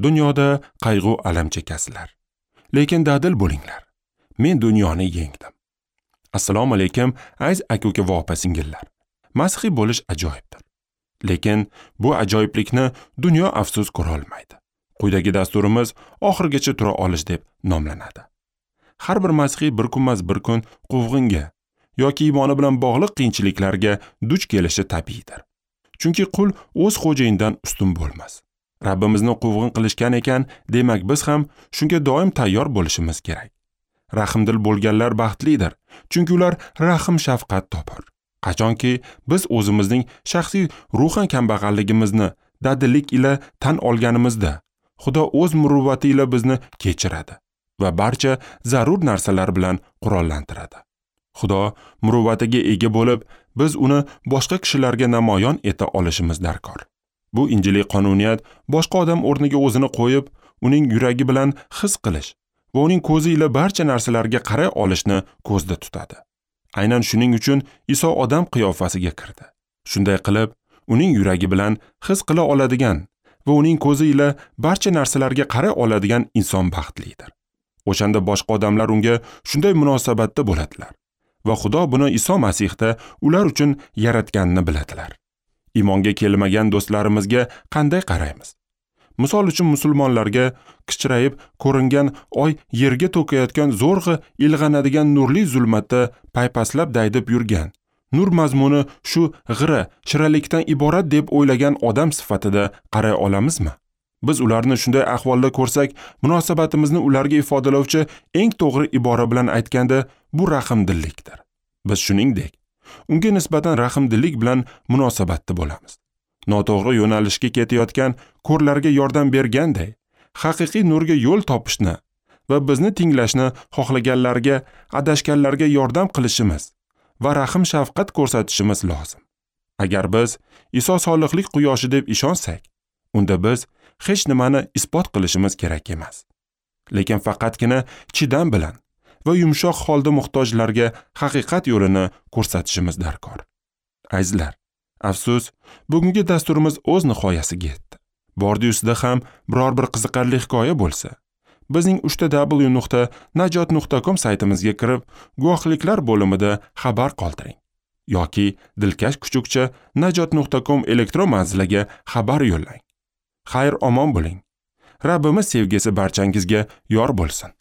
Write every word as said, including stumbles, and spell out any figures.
Dunyoda qayg'u alam chekasizlar, lekin dadil bo'linglar. Men dunyoni yengdim. Assalomu alaykum, aziz aka-uka va opa-singillar. Masihiy bo'lish ajoyibdir. Lekin bu ajoyiblikni dunyo afsus ko'ra olmaydi. Quyidagi dasturimiz oxirigacha tura olish deb nomlanadi. Har bir masihiy bir kunmas bir kun quvg'inga yoki iymoni bilan bog'liq qiyinchiliklarga duch kelishi tabiiydir. Chunki qul o'z xo'jayinidan ustun bo'lmas. Rabbimizni quvg'in qilishgan ekan, demak biz ham shunga doim tayyor bo'lishimiz kerak. Rahmdil bo'lganlar baxtlidir, chunki ular rahm shafqat topar. Qachonki biz o'zimizning shaxsiy ruhan kambag'alligimizni dadillik ila tan olganimizda, Xudo o'z muruvvati ila bizni kechiradi va barcha zarur narsalar bilan qurollantiradi. Xudo muruvvatiga ega bo'lib, biz uni boshqa kishilarga namoyon eta olishimiz darkor. Bu injiliy qonuniyat boshqa odam o'rniga o'zini qo'yib, uning yuragi bilan his qilish va uning ko'zi ila barcha narsalarga qaray olishni ko'zda tutadi. Aynan shuning uchun Iso odam qiyofasiga kirdi. Shunday qilib, uning yuragi bilan his qila oladigan va uning ko'zi ila barcha narsalarga qaray oladigan inson baxtlidir. O'shanda boshqa odamlar unga shunday munosabatda bo'ladilar va Xudo buni Iso Masihda ular uchun yaratganini biladilar. Iymonga kelmagan do'stlarimizga qanday qaraymiz? Misol uchun musulmonlarga kichrayib ko'ringan oy yerga to'kayotgan zo'rg'a ilg'anadigan nurli zulmatda paypaslab daydib yurgan, nur mazmuni shu g'ira shiralikdan iborat deb o'ylagan odam sifatida qaray olamizmi? Biz ularni shunday ahvolda ko'rsak, munosabatimizni ularga ifodalovchi eng to'g'ri ibora bilan aytganda, bu rahmdillikdir. Biz shuningdek, unga nisbatan rahmdillik bilan munosabatda bo'lamiz. Noto'g'ri yo'nalishga ketayotgan ko'rlarga yordam berganday, haqiqiy nurga yo'l topishni va bizni tinglashni xohlaganlarga, adashganlarga yordam qilishimiz va rahm shafqat ko'rsatishimiz lozim. Agar biz Iso solihlik quyoshi deb ishonsak, unda biz hech nimani isbot qilishimiz kerak emas. Lekin faqatgina chidam bilan va yumshoq holda muhtojlarga haqiqat yo'lini ko'rsatishimiz darkor. Azizlar, afsus, bugungi dasturimiz o'z nihoyasiga yetdi. Bordi-yu sizda ham biror bir qiziqarli hikoya bo'lsa, bizning uchta w nuqta najot nuqta com saytimizga kirib, guvohliklar bo'limida xabar qoldiring yoki dilkash kuchukcha najot nuqta com elektron manziliga xabar yo'llang. Xayr omon bo'ling. Rabbimiz sevgisi barchangizga yor bo'lsin.